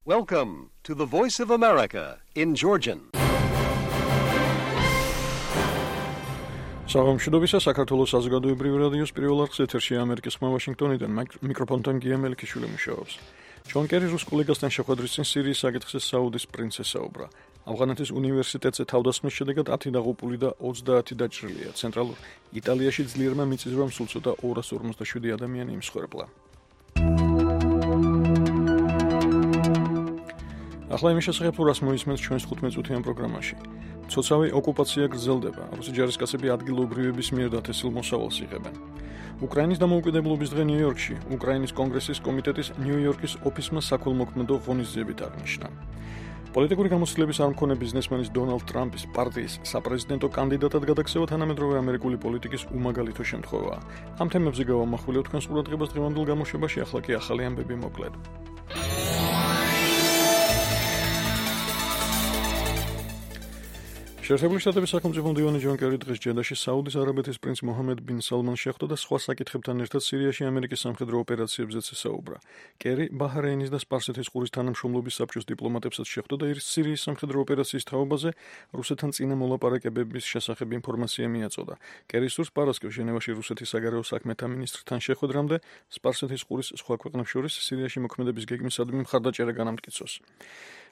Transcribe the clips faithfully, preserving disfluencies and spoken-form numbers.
Welcome to the Voice of America in Georgian. Საღამოშიდობისა საქართველოს საზოგადოებრივი რადიოს პირველ არხს ეთერში ამერიკის ხმა ვაშინგტონიდან მიკროფონთან გია მელიქიშვილი მუშაობს. ჯონ კერი რუს კოლეგასთან შეხვედრის წინ სირიის საკითხზე საუდის პრინცს ესაუბრა. ავღანეთის უნივერსიტეტზე თავდასხმის შედეგად ათი დაღუპული და ოცდაათი დაჭრილია. ცენტრალურ იტალიაში ძლიერმა მიწისძვრამ სულ ცოტა ორას ორმოცდაშვიდი ადამიანი იმსხვერპლა. ახლა იმის შესახებ თუ რას მოისმენთ ჩვენს თხუთმეტწუთიან პროგრამაში. ცოცავი ოკუპაცია გრძელდება. რუსი ჯარისკაცები ადგილობრივების მიერ დათესილ მოსავალს იღებენ. უკრაინის დამოუკიდებლობის დღე ნიუ-იორკში უკრაინის კონგრესის კომიტეტის ნიუ-იორკის ოფისმა საქველმოქმედო ღონისძიებით აღნიშნა. პოლიტიკური გამოცდილების არ მქონე ბიზნესმენის დონალდ ტრამპის პარტიის საპრეზიდენტო კანდიდატად გადაქცევა თანამედროვე ამერიკული პოლიტიკის უმაგალითო შემთხვევაა. ამ თემებზე გავამახვილებთ თქვენს ყურადღებას დღევანდელ გამოშვებაში, ახლა კი ახალი ამბები მოკლედ. შეერთებული შტატების სახელმწიფო მდივანი ჯონ კერი დღეს ჯედაში საუდის არაბეთის პრინც მოჰამედ ბინ სალმანს შეხვდა და სხვა საკითხებთან ერთად სირიაში ამერიკის სამხედრო ოპერაციებზეც ესაუბრა. კერი ბაჰრეინის და სპარსეთის ყურის თანამშრომლობის საბჭოს დიპლომატებსაც შეხვდა და სირიის სამხედრო ოპერაციის თაობაზე რუსეთთან წინა მოლაპარაკებების შესახებ ინფორმაცია მიაწოდა. კერი სურს პარასკევს ჟენევაში რუსეთის საგარეო საქმეთა მინისტრთან შეხვედრამდე სპარსეთის ყურის სხვა ქვეყნებს შორის სირიაში მოქმედების გეგმისადმი მხარდაჭერა განამტკიცოს.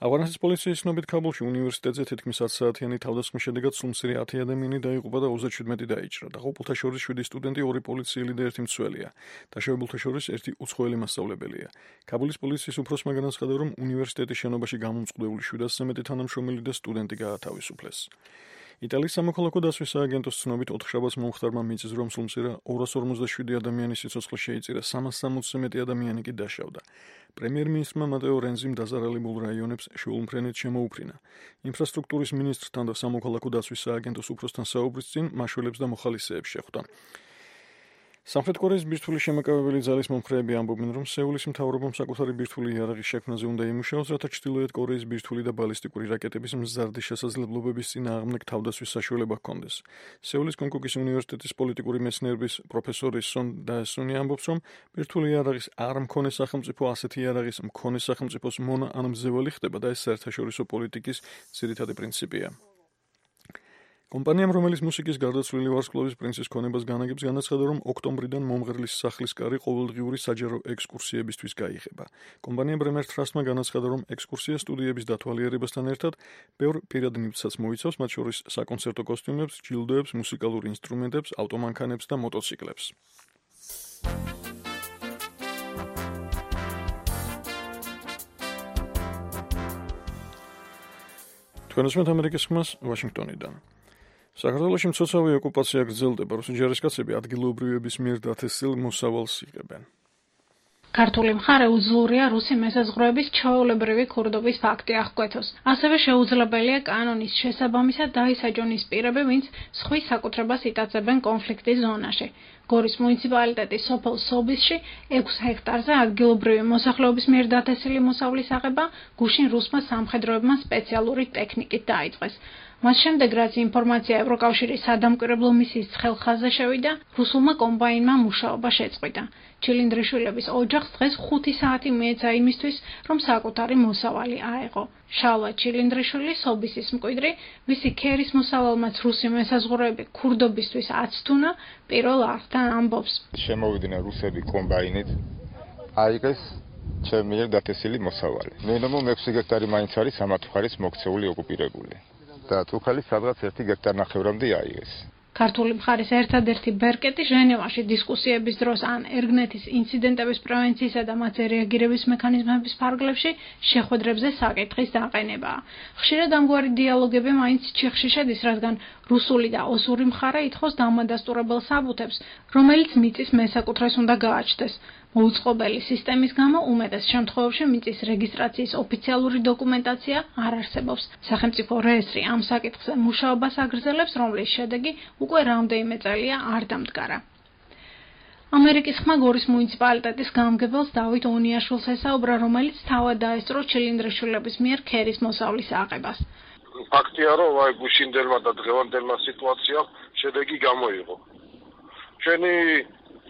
ავღანეთის პოლიციის ცნობით ქაბულში უნივერსიტეტზე თითქმის ათ საათიანი თავდასხმის შედეგად სულ ათი ადამიანი დაიღუპა და ოცდაშვიდი დაიჭრა. დაღუპულთა შორის შვიდი სტუდენტი, ორი პოლიციელი და ერთი მცველია. დაშავებულთა შორის ერთი უცხოელი მასწავლებელია. ქაბულის პოლიციის უფროსმა განაცხადა, რომ უნივერსიტეტის შენობაში გამომწყდეული შვიდასზე მეტი თანამშრომელი და სტუდენტი გაათავისუფლეს. იტალიის სამოქალაქო დასვის სააგენტოს ცნობით ოთხშაბათს მომხდარმა მიწისძვრამ სულმცირა ორას ორმოცდაშვიდი ადამიანის სიცოცხლე შეიწირა, სამას სამოცზე მეტი ადამიანი კი დაშავდა. პრემიერ-მინისტრმა მატეო რენზიმ დაზარალებულ რაიონებს შეულმფრენით შემოუფრინა. ინფრასტრუქტურის მინისტრთან და სამოქალაქო დასვის სააგენტოს უფროსთან საუბრის წინ მაშველებს და მოხალისეებს შეხვდა. სამხრეთ კორეის ბირთვული შემაკავებელი ძალის მომხრეები ამბობენ, რომ სეულის მთავრობამ საკუთარი ბირთვული იარაღის შექმნაზე უნდა იმუშაოს, რათა ჩრდილოეთ კორეის ბირთვული და ბალისტიკური რაკეტების მზარდი შესაძლებლობების წინააღმდეგ თავდასხმის საშუალება ჰქონდეს. სეულის კონკუკის უნივერსიტეტის პოლიტიკური მეცნიერების პროფესორი სონ დაესუნი ამბობს, რომ ბირთვული იარაღის არ მქონე სახელმწიფო ასეთი იარაღის მქონე სახელმწიფოს მონა ან მძევალი ხდება და ეს საერთაშორისო პოლიტიკის ძირითადი პრინციპია. კომპანიამ, რომელიც მუსიკის გარდაცვლილი ვარსკვლავის პრინცის ქონებას განაგებს, განაცხადა, რომ ოქტომბრიდან მომღერლის სახლის კარი ყოველდღიური საჯარო ექსკურსიებისთვის გაიხება. კომპანია ბრემერ ტრასტმა განაცხადა, რომ ექსკურსია სტუდიების დათვალიერებასთან ერთად ბევრ პირად ნივთსაც მოიცავს, მათ შორის საკონცერტო კოსტიუმებს, ჯილდოებს, მუსიკალურ ინსტრუმენტებს, ავტომანქანებს და მოტოციკლებს. თქვენ უსმენთ ამერიკის ხმას ვაშინგტონიდან. საქართველოში მცოცავი ოკუპაცია გრძელდება. რუსი ჯარისკაცები ადგილობრივების მიერ დათესილ მოსავალს იღებენ. ქართული მხარე უძლურია რუსი მესაზღვრეების ჩვეულებრივი ქურდობის ფაქტი აღკვეთოს. ასევე შეუძლებელია კანონის შესაბამისად დაისაჯონ ის პირები, ვინც სხვის საკუთრებას იტაცებენ კონფლიქტის ზონაში. გორის მუნიციპალიტეტის სოფელ სობისში ექვს ჰექტარზე ადგილობრივი მოსახლეობის მიერ დათესილი მოსავლის აღება გუშინ რუსმა სამხედროებმა სპეციალური ტექნიკით დაიწყეს. მას შემდეგ, რაც ინფორმაცია ევროკავშირის სადამკვირვებლო მისიის ხელხაზზე შევიდა, რუსულმა კომბაინმა მუშაობა შეწყვიტა. ჩილინდრიშვილების ოჯახს დღეს ხუთი საათი მიეცა იმისთვის, რომ საკუთარი მოსავალი აეღო. შალვა ჩილინდრიშვილი, სობისის მკვიდრი, მისი ქერის მოსავალმაც რუსი მესაზღვრეები ქურდობისთვის აცთუნა, პირველ არხთან ამბობს. შემოვიდნენ რუსები კომბაინით, აიღეს ჩემი მიერ დათესილი მოსავალი. მინიმუმ ექვსი ჰექტარი მაინც არის ამათ მხარის მოქცეული ოკუპირებული. და თუხელი სადღაც ერთი ჰექტარ ნახევრამდე აიღეს. ქართული მხარის ერთადერთი ბერკეტი ჟენევაში დისკუსიების დროს ან ერგნეთის ინციდენტების პრევენციისა და მათზე რეაგირების მექანიზმების ფარგლებში შეხვედრებზე საკითხის დაყენებაა. ხშირად ამგვარი დიალოგები მაინც ჩიხში შედის, რადგან რუსული და ოსური მხარე ითხოვს დამადასტურებელ საბუთებს, რომელიც მიწის მესაკუთრეს უნდა გააჩნდეს. მოუწყობელი სისტემის გამო უმეტეს შემთხვევებში მიწის რეგისტრაციის ოფიციალური დოკუმენტაცია არ არსებობს. სახელმწიფო რეესტრი ამ საკითხზე მუშაობას აგრძელებს, რომლის შედეგი უკვე რამდენიმე წელია არ დამდგარა. ამერიკის ხმა გორის მუნიციპალიტეტის გამგებელს დავით ონიაშვილს ესაუბრა, რომელიც თავად დაესწრო ჩილინდრიშვილების მიერ ქერის მოსავლის აღებას. ფაქტია, რომ აი გუშინდელმა და დღევანდელმა სიტუაციამ შედეგი გამოიღო. ჩვენი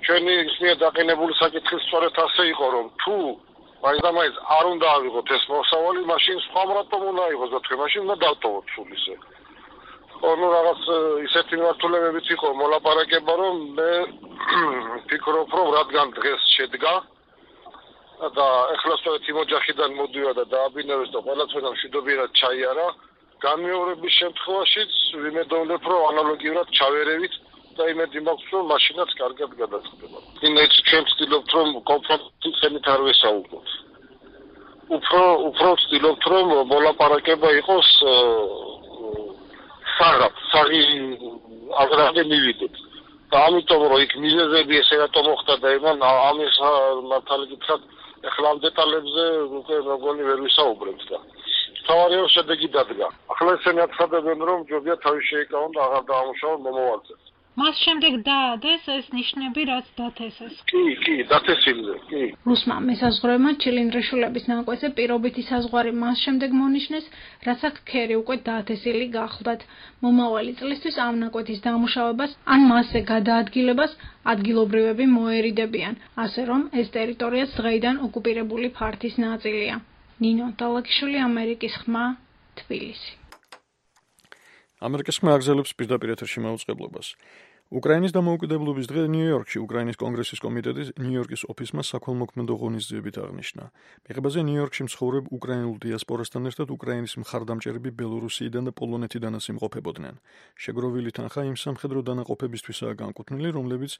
ჩვენი ისმია დაყენებული საკითხი სწორედ ასე იყო, რომ თუ მაინც და მაინც არ უნდა ავიღოთ ეს მოსავალი, მაშინ სხვა რატომ უნდა აიღოს და თქვენ მაშინ უნდა დავტოვოთ სულ ისე. ანუ რაღაც ისეთი მართულებებიც იყო მოლაპარაკება, რომ მე ვფიქრობ, რომ რადგან დღეს შედგა და ეხლა სწორედ იმ ოჯახიდან მოდიოდა და დააბინავეს და ყველაფერს მშვიდობიერად ჩაიარა, განმეორების შემთხვევაშიც ვიმედოვნებ, რომ ანალოგიურად ჩავერევით და იმედი მაქვს, რომ მაშინაც კარგად გადაწყდება. იმეც ჩვენ ვცდილობთ, რომ კონფრონტის ხემით არ ვესაუბროთ. უფრო უფრო ვცდილობთ, რომ მოლაპარაკება იყოს საღად, საღი აღრამდე მივიდეთ. და ამიტომ რომ იქ მიზეზები ესე რატომ მოხდა და იმან ამის მართალი გითხრათ, ეხლა ამ დეტალებზე უკვე მეგონი ვერ ვისაუბრებთ და თავარიო შედეგი დადგა. ახლა ესენი აცხადებენ, რომ ჯობია თავის შეიკავონ და აღარ დაამუშავონ მომავალზე. მას შემდეგ დაადეს ეს ნიშნები, რაც დათესეს. კი, კი, დათესილზე, კი. რუსმა მესაზღვრეებმა ჩილინდრიშულების ნაკვეთზე პირობითი საზღვარი მას შემდეგ მონიშნეს, რაც აქ ქერი უკვე დათესილი გახლდათ. მომავალი წლისთვის ამ ნაკვეთის დამუშავებას ან მასზე გადაადგილებას ადგილობრივები მოერიდებიან, ასე რომ ეს ტერიტორიაც დღეიდან ოკუპირებული ფართის ნაწილია. ნინო დალაკიშვილი, ამერიკის ხმა, თბილისი. ამერიკის ხმა აგზელებს პირდაპირ ეთერში მაუწყებლობას. უკრაინის დამოუკიდებლობის დღე ნიუ-იორკში უკრაინის კონგრესის კომიტეტის ნიუ-იორკის ოფისმა საქველმოქმედო ღონისძიებით აღნიშნა. მიღებაზე ნიუ-იორკში მცხოვრებ უკრაინულ დიასპორასთან ერთად უკრაინის მხარდამჭერები ბელორუსიიდან და პოლონეთიდანაც იმყოფებოდნენ. შეგროვილი თანხა იმ სამხედრო დანაყოფებისთვისაა განკუთვნილი, რომლებიც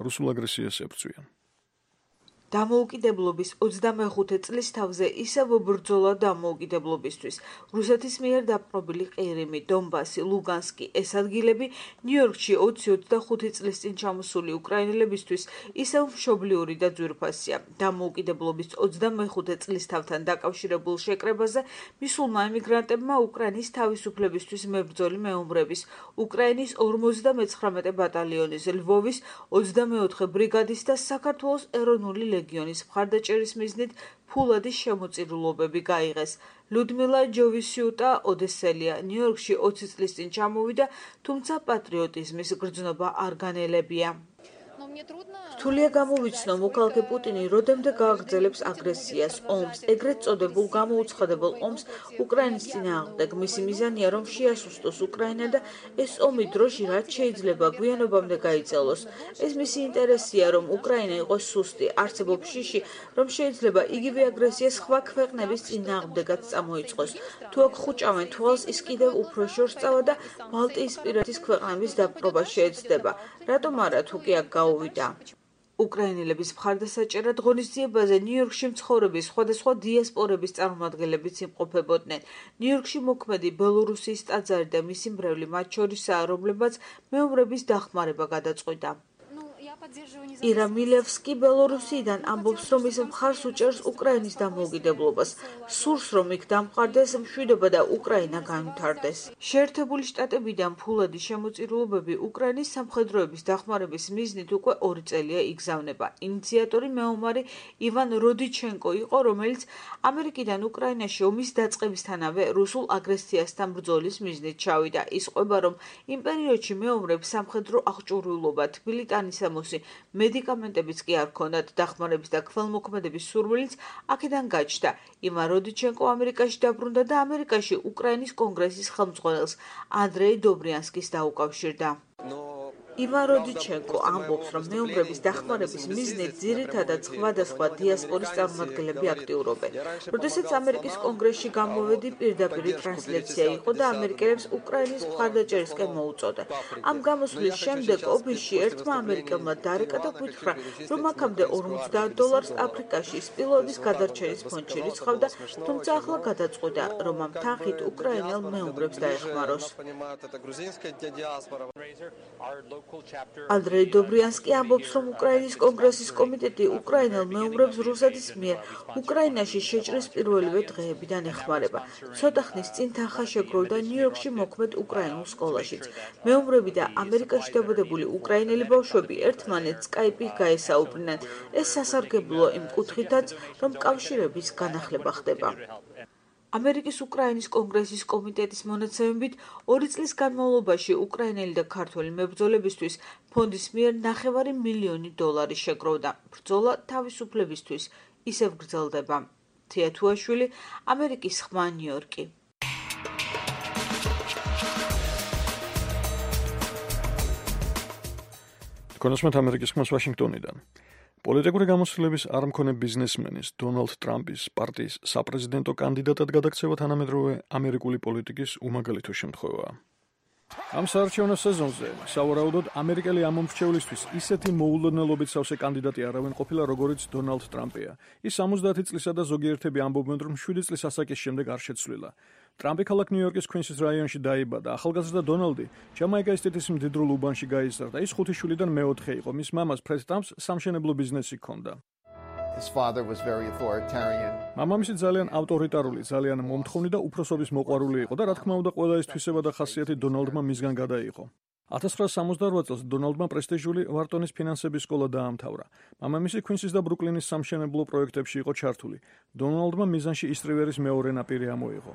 რუსულ აგრესიას ებრძვიან. დამოუკიდებლობის ოცდამეხუთე წლის თავზე ისევ ბრძოლა დამოუკიდებლობისთვის. რუსეთის მიერ დაპყრობილი ყირიმი, დონბასი, ლუგანსკი, ეს ადგილები ნიუ-იორკში ოცი ოცდახუთი წლის წინ ჩამოსული უკრაინელებისთვის ისევ მშობლიური და ძვირფასია. დამოუკიდებლობის ოცდამეხუთე წლის თავთან დაკავშირებულ შეკრებაზე მისულმა ემიგრანტებმა უკრაინის თავისუფლებისთვის მებრძოლი მეომრების, უკრაინის ორმოცდამეცხრამეტე ბატალიონის, ლვოვის ოცდამეოთხე ბრიგადის და საქართველოს ეროვნული ლეგიონის მხარდაჭერის მიზნით ფულადი შემოწირულობები გაიღეს. ლუდმილა ჯოვისიუტა ოდესელია ნიუ-იორკში ოცი წლის წინ ჩამოვიდა, თუმცა პატრიოტიზმის გრძნობა არ განელებია. რთულია გამოვიცნო მოქალაქე პუტინი როდემდე გააგრძელებს აგრესიას, ომს, ეგრეთ წოდებულ გამოუცხადებელ ომს უკრაინის წინააღმდეგ. მისი მიზანია, რომ შეასუსტოს უკრაინა და ეს ომი დროში რაც შეიძლება გვიანობამდე გაიწელოს. ეს მისი ინტერესია, რომ უკრაინა იყოს სუსტი, არსებობს შიში, რომ შეიძლება იგივე აგრესია სხვა ქვეყნების წინააღმდეგაც წამოიწყოს. თუ აქ ხუჭავენ თვალს, ის კიდევ უფრო შორსწავა და ბალტიისპირეთის ქვეყნების დაპყრობა შეეცდება. რატომ არა თუ კი აქ გაუვიდა? უკრაინელების მხარდასაჭერად ღონისძიებაზე ნიუ-იორკში მცხოვრები სხვადასხვა დიასპორების წარმომადგენლებიც იმყოფებოდნენ. ნიუ-იორკში მოქმედი ბელორუსიის ტაძარი და მისი მრევლი მათ შორისაა, რომლებმაც მეომრების დახმარება გადაწყვიტა. ირა მილევსკი ბელორუსიიდან ამბობს, რომ ის მხარს უჭერს უკრაინის დამოუკიდებლობას. სურს, რომ იქ დამყარდეს მშვიდობა და უკრაინა განვითარდეს. შეერთებული შტატებიდან ფულადი შემოწირულობები უკრაინის სამხედროების დახმარების მიზნით უკვე ორი წელია იგზავნება. ინიციატორი მეომარი ივან როდიჩენკო იყო, რომელიც ამერიკიდან უკრაინაში ომის დაწყებისთანავე რუსულ აგრესიასთან ბრძოლის მიზნით ჩავიდა. ის ყვება, რომ იმ პერიოდში მეომრებს სამხედრო აღჭურვილობა, თბილი ტანისამოსი, მედიკამენტებიც კი არ ჰქონდათ. დახმარების და ქველმოქმედების სურვილიც აქედან გაჩნდა. ივან როდიჩენკო ამერიკაში დაბრუნდა და ამერიკაში უკრაინის კონგრესის ხელმძღვანელს ანდრეი დობრიანსკის დაუკავშირდა. ივან როდიჩენკო ამბობს, რომ მეომრების დახმარების მიზნით ძირითადად სხვადასხვა დიასპორის წარმომადგენლები აქტიურობენ. როდესაც ამერიკის კონგრესში გამოვედი, პირდაპირ ტრანსლაცია იყო და ამერიკელებს უკრაინის მხარდაჭერისკენ მოუწოდა. ამ გამოსვლის შემდეგ ოფისში ერთმა ამერიკელმა დარეკა და გითხრა, რომ აქამდე ორმოცდაათ დოლარს აფრიკაში სპილოების გადარჩენის ფონდში რიცხავდა, თუმცა ახლა გადაწყვიტა, რომ ამ თანხით უკრაინელ მეომრებს დაეხმაროს. ანდრეი დობრიანსკი ამბობს, რომ უკრაინის კონგრესის კომიტეტი უკრაინელ მეომრებს რუსეთის მიერ უკრაინაში შეჭრის პირველივე დღეებიდან ეხმარება. ცოტა ხნის წინ თანხა შეგროვდა ნიუ-იორკში მოქმედ უკრაინულ სკოლაშიც. მეომრები და ამერიკაში დაბადებული უკრაინელი ბავშვები ერთმანეთს სკაიპით გაესაუბრნენ. ეს სასარგებლოა იმ კუთხითაც, რომ კავშირების განახლება ხდება. ამერიკის უკრაინის კონგრესის კომიტეტის მონაცემებით ორი წლის განმავლობაში უკრაინელი და ქართველი მებრძოლებისთვის ფონდის მიერ ნახევარი მილიონი დოლარი შეგროვდა. ბრძოლა თავისუფლებისთვის ისევ გრძელდება. თია თუაშვილი, ამერიკის ხმა, ნიუ-იორკი. კონსმეთ ამერიკის ხმას ვაშინგტონიდან. პოლიტიკური გამოცდილების არ მქონე ბიზნესმენის დონალდ ტრამპის პარტიის საპრეზიდენტო კანდიდატად გადაქცევა თანამედროვე ამერიკული პოლიტიკის უმაგალითო შემთხვევაა. ამ საარჩევნო სეზონზე სავარაუდოდ ამერიკელი ამომრჩევლისთვის ისეთი მოულოდნელობით სავსე კანდიდატი არავინ ყოფილა, როგორიც დონალდ ტრამპია. ის სამოცდაათი წლისა და ზოგიერთები ამბობენ, რომ შვიდი წლის ასაკის შემდეგ არ შეცვლილა. ტრამპი ქალაქ ნიუ-იორკის κουინსის რაიონში დაიბადა. ახალგაზრდა დონალდი ჯამაიკა სტეიტის მდიდრულ უბანში გაიზარდა. ის ხუთი შვილიდან მეოთხე იყო. მის მამას ფრედ ტრამპს სამშენებლო ბიზნესი ჰქონდა. His father was very authoritarian. მამამისი ძალიან ავტორიტარული, ძალიან მომთხოვნი და უფროსობის მოყვარული იყო და რა თქმა უნდა ყველა ეს თვისება და ხასიათი დონალდმა მისგან გადაიღო. ათას ცხრაასი სამოცდაორვა წელს დონალდმა პრესტიჟული ვარტონის ფინანსების სკოლა დაამთავრა. მამამისი κουინსის და ბრუკლინის სამშენებლო პროექტებში იყო ჩართული. დონალდმა მიზანში ისტრივერის მეორე ნაპირი ამოიღო.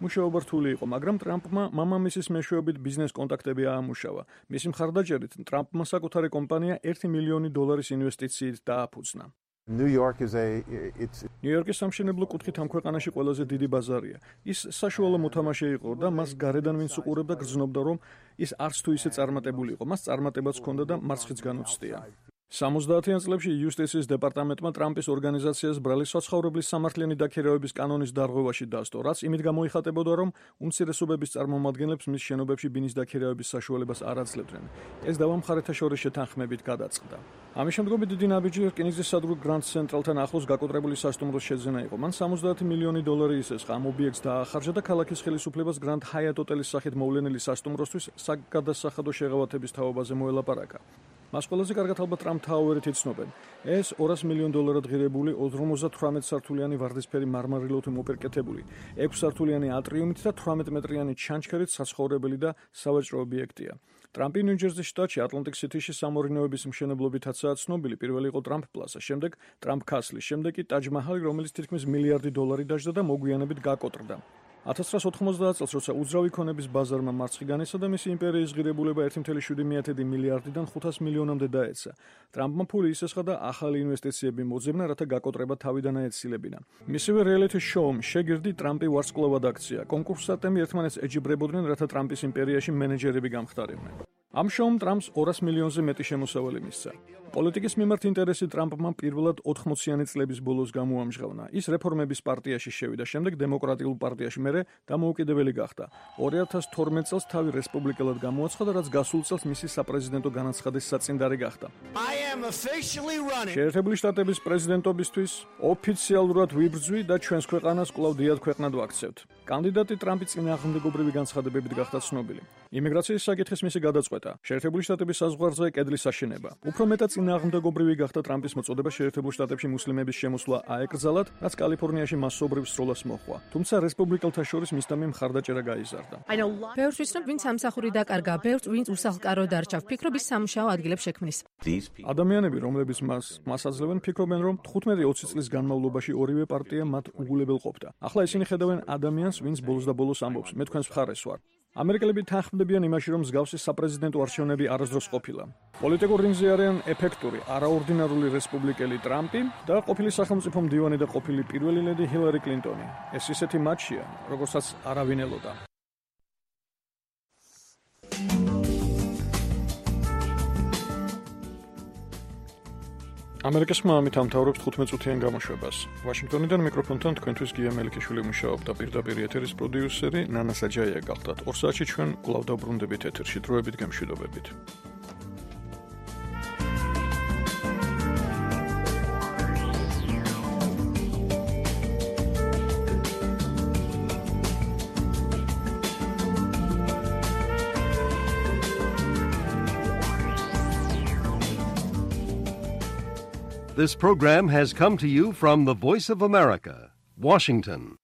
მუშაობა რთული იყო, მაგრამ ტრამპმა მამამისის მეშვეობით ბიზნეს კონტაქტები აამუშავა. მისი მხარდაჭერით ტრამპმა საკუთარი კომპანია ერთი მილიონი დოლარის ინვესტიციით დააფუძნა. New York is a it's ნიუ-იორკის სამშენებლო კუთხით ამ ქვეყანაში ყველაზე დიდი ბაზარია. ის საშუალო მოთამაშე იყო და მას გარედან ვინც უყურებდა გრძნობდა, რომ ის არც თუ ისე წარმატებული იყო. მას წარმატებაც ჰქონდა და მარცხიც განუცდია. სამოცდაათიან წლებში იუსტიციის დეპარტამენტმა ტრამპის ორგანიზაციას ბრალი საცხოვრებლის სამართლიანი დაქირავების კანონის დარღვევაში დასდო, რაც იმით გამოიხატებოდა, რომ უმცირესობების წარმომადგენლებს მის შენობებში ბინის დაქირავების საშუალებას არ აძლევდნენ. ეს დავა მხარეთა შორის შეთანხმებით გადაწყდა. ამის შემდგომი დიდი ნაბიჯი რკინიგზის სადგურ გრანდ ცენტრალთან ახლოს გაკოტრებული სასტუმროს შეძენა იყო. მან სამოცდაათი მილიონი დოლარი ისესხა ამ ობიექტს დაახარჯა და ქალაქის ხელისუფლებას გრანდ ჰაიატ ოტელის სახით მოვლენილი სასტუმროსთვის საგადასახადო შეღავათების თაობაზე მოელაპარაკა. მას ყველაზე კარგად ალბათ ტრამპ თაუერით იცნობენ. ეს ორასი მილიონ დოლარად ღირებული ოცდაოთხ სართულიანი ვარდისფერი მარმარილოთი მოპირკეთებული, ექვსი სართულიანი ატრიუმით და თვრამეტ მეტრიანი ჩანჩქერით საცხოვრებელი და სავაჭრო ობიექტია. ტრამპი ნიუ-ჯერზის შტატში ატლანტიკ სიტიში სამორინოების მშენებლობითაცაა ცნობილი. პირველი იყო ტრამპ პლაზა, შემდეგ ტრამპ კასლი, შემდეგ კი ტაჯ მაჰალი, რომელიც თითქმის მილიარდი დოლარი დაჯდა და მოგვიანებით გაკოტრდა. ათას ცხრაასი ოთხმოცდაათ წელს, როცა უძრავი ქონების ბაზარმა მარცხი განიცადა და მისი იმპერიის ღირებულება ერთი კoma შვიდი მილიარდიდან ხუთას მილიონამდე დაეცა. ტრამპმა ფული ისესხა და ახალი ინვესტიციები მოძებნა, რათა გაკოტრება თავიდან აეცილებინა. მისივე რეალიტი შოუმ შეგირდი ტრამპი ვარსკვლავად აქცია. კონკურსანტები ერთმანეთს ეჯიბრებოდნენ, რათა ტრამპის იმპერიაში მენეჯერები გამხდარიდნენ. ამ შოუმ ტრამპს ორასი მილიონზე მეტი შემოსავალი მისცა. პოლიტიკის მიმართ ინტერესი ტრამპმა პირველად ოთხმოციანი წლების ბოლოს გამოამჟღავნა. ის რეფორმების პარტიაში შევიდა, შემდეგ დემოკრატიულ პარტიაში, მერე დამოუკიდებელი გახდა. ორი ათას თორმეტ წელს თავი რესპუბლიკელად გამოაცხადა, რაც გასულ წელს მისი საპრეზიდენტო განაცხადის საწინდარი გახდა. შეერთებული შტატების პრეზიდენტობისთვის ოფიციალურად ვიბრძვი და ჩვენს ქვეყანას კვლავ დიად ქვეყნად ვაქცევთ. კანდიდატი ტრამპი წინააღმდეგობრივი განცხადებებით გახდა ცნობილი. იმიგრაციის საკითხის მისი გადაწყვეტა, შეერთებული შტატების საზღვარზე კედლის აშენება. უფრო მეტად წინააღმდეგობრივი გახდა ტრამპის მოწოდება შეერთებულ შტატებში მუსლიმების შემოსვლა აეკრძალათ, რაც კალიფორნიაში მასობრივ სროლას მოჰყვა. თუმცა რესპუბლიკელთა შორის მისდამი მხარდაჭერა გაიზარდა. ბევრს ვიცნობ, ვინც სამსახური დაკარგა, ბევრს ვინც უსახლკარო დარჩა, ვფიქრობ ის სამუშაო ადგილებს შექმნის. ადამიანები, რომლებიც მას მას აძლევენ, ფიქრობენ, რომ თხუთმეტი ოცი წლის განმავლობაში ორივე პარტია მათ უგულებელ ყოფდა. ახლა ისინი ხედავენ ადამიანს, ვინც ბოლოს და ბოლოს ამბობს, მე თქვენს მხარეს ვარ. ამერიკელები თანხმდებიან იმაში, რომ მსგავსი საპრეზიდენტო არჩევნები არასდროს ყოფილა. პოლიტიკურ რინგზე არიან ეფექტური, არაორდინარული რესპუბლიკელი ტრამპი და ყოფილი სახელმწიფო მდივანი და ყოფილი პირველი ლედი ჰილარი კლინტონი. ეს ისეთი მატჩია, როგორცაც არავინ ელოდა. ამერიკის ხმა ამით ამთავრებს თხუთმეტ წუთიან გამოშვებას. ვაშინგტონიდან მიკროფონთან თქვენთვის გია მელიქიშვილი მუშაობდა, პირდაპირ ეთერის პროდიუსერი ნანა საჯაია გახდათ. ორ საათში ჩვენ კვლავ დავბრუნდებით ეთერში. დროებით გემშვიდობებით. This program has come to you from the Voice of America, Washington.